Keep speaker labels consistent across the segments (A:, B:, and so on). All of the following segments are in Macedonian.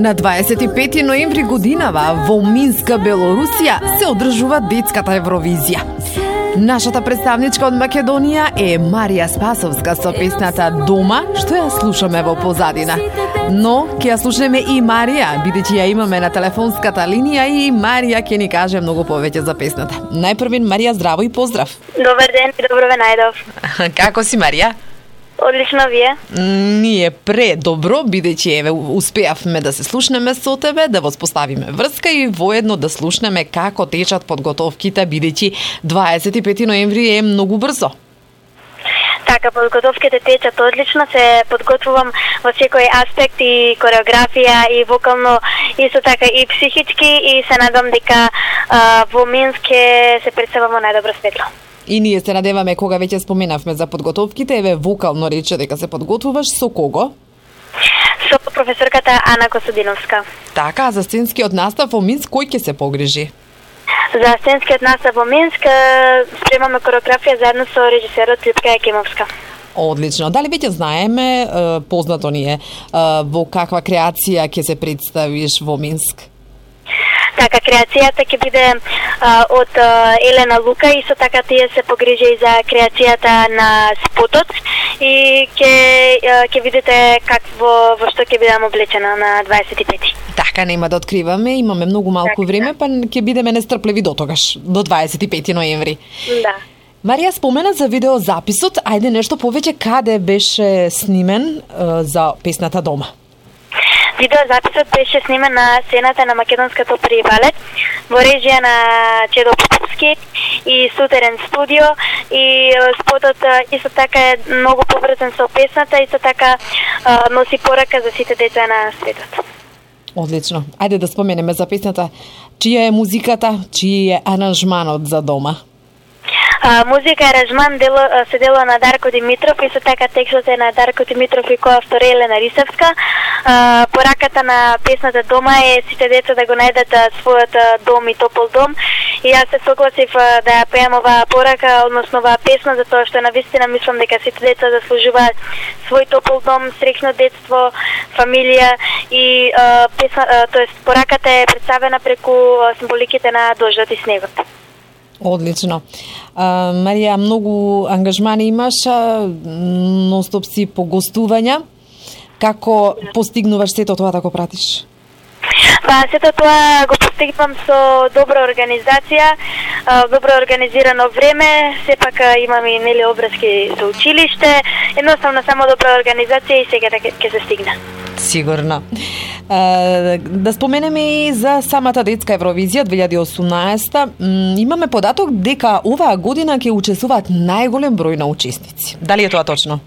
A: На 25 ноември годинава во Минска, Белорусија, се одржува детската Евровизија. Нашата представничка од Македонија е Марија Спасовска со песната Дома, што ја слушаме во позадина. Но ќе ја слушнеме и Марија, бидејќи ја имаме на телефонската линија и Марија ќе ни каже многу повеќе за песната. Најпрвен, Марија, здраво и поздрав.
B: Добар ден и добро ве најдов.
A: Како си, Марија?
B: Одлично, вие?
A: Ние предобро, бидејќи еве успеавме да се слушнеме со тебе, да воспоставиме врска и воедно да слушнеме како течат подготовките, бидејќи 25 ноември е многу брзо.
B: Така, подготовките течат одлично, се подготвувам во секој аспект и кореографија и вокално, исто така и психички, и се надам дека во Минск се представам во најдобро светло.
A: И ние се надеваме, кога веќе споменавме за подготовките, еве вокално рече дека се подготвуваш со кого?
B: Со професорката Ана Косудиновска.
A: Така, за сценскиот настав во Минск кој ќе се погрижи?
B: За сценскиот настав во Минск спремаме кореографија заедно со режисерот Лјупка Јакимовска.
A: Одлично. Дали веќе знаеме, познато ни е, во каква креација ќе се представиш во Минск?
B: Така, креацијата ќе биде од Елена Лука, и со така тие се погрижи и за креацијата на спотот и ќе видите во што ќе бидам облечена на 25-ти.
A: Така, нема да откриваме, имаме многу малку време, па ќе бидеме нестрпливи до тогаш, до 25 ноември.
B: Да.
A: Марија спомена за видеозаписот, ајде нешто повеќе, каде беше снимен за песната Дома?
B: Видеозаписот беше снимен на сцената на Македонската опера и балет во режија на Чедо Поповски и Сутерен студио, и спотот исто така е многу поврзан со песната, исто така носи порака за сите деца на светот.
A: Одлично. Ајде да споменеме за песната. Чија е музиката, чиј е аранжманот за Дома?
B: Музика и аранжман се делува на Дарко Димитров, и со така текстот е на Дарко Димитров и коавтор Елена Рисевска. Пораката на песната Дома е сите деца да го најдат својот дом и топол дом. И јас се согласив да ја пеам оваа порака, односно оваа песна, затоа што навистина мислам дека сите деца заслужуваат свој топол дом, среќно детство, фамилија, и пораката е представена преку символиките на дождот и снегот.
A: Одлично. Марија, многу ангажмани имаш, нонстоп си по гостувања. Како постигнуваш сето тоа да го пратиш?
B: Сето тоа го постигнувам со добра организација, добро организирано време, сепак имам и обврски со училиште, едноставно само добра организација и сега ќе се стигне.
A: Сигурно. Да споменеме и за самата детска Евровизија 2018. Имаме податок дека оваа година ќе учествуваат најголем број на учесници. Дали е тоа точно?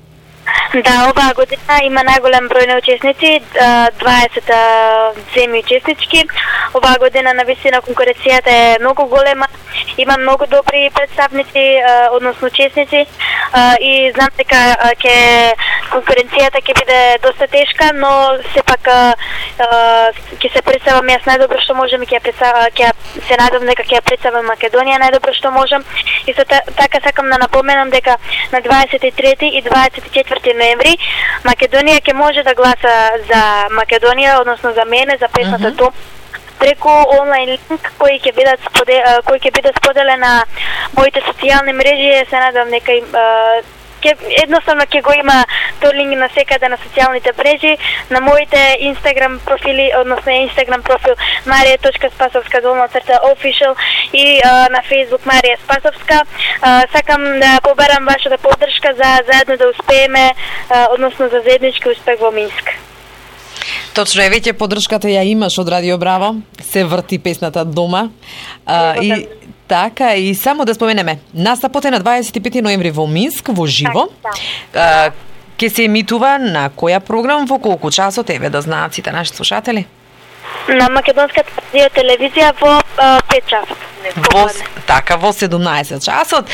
B: Да, оваа година има најголем број на учесници, 20 земји учеснички. Оваа година навистина конкуренцијата е многу голема, има многу добри представници, односно учесници, и знам дека конкуренцијата ќе биде доста тешка, но сепак ќе се представам јас најдобро што можам, и ќе се надам дека ќе ја представам Македонија најдобро што можам. И со така сакам да напоменам дека на 23 и 24 ноември Македонија ќе може да гласа за Македонија, односно за мене, за песната Дом, преку онлайн линк кој ќе биде споделен на моите социјални мрежи. Се надам дека едноставно ќе го има тој линк на секаде на социјалните мрежи, на моите Инстаграм профили, односно Инстаграм профил Marija.Spasovska_official и на Фејсбук Марија Спасовска. Сакам да побарам вашата поддршка за заедно да успееме, односно за заеднички успех во Минск.
A: Точно е, веќе поддршката ја имаш од Радио Браво, се врти песната Дома. И така, и само да споменеме, настапот е на 25 ноември во Минск, во живо. Ке се емитува на која програм, во колку часот, еве да знаат сите наши слушатели?
B: На Македонската телевизија во 5 часот.
A: Така, во 17 часот.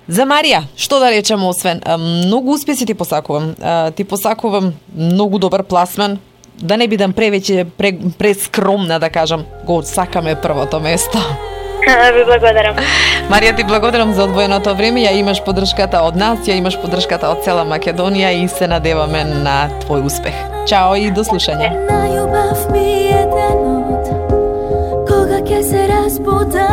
A: За Марија, што да речеме освен, многу успеси ти посакувам. Ти посакувам многу добар пласман, да не бидам прескромна да кажам, го сакаме првото место.
B: Ви благодарам.
A: Марија, ти благодарам за одвоеното време. Ја имаш поддршката од нас, ја имаш поддршката од цела Македонија и се надеваме на твој успех. Чао и до слушање.
C: Кога ќе се разбуда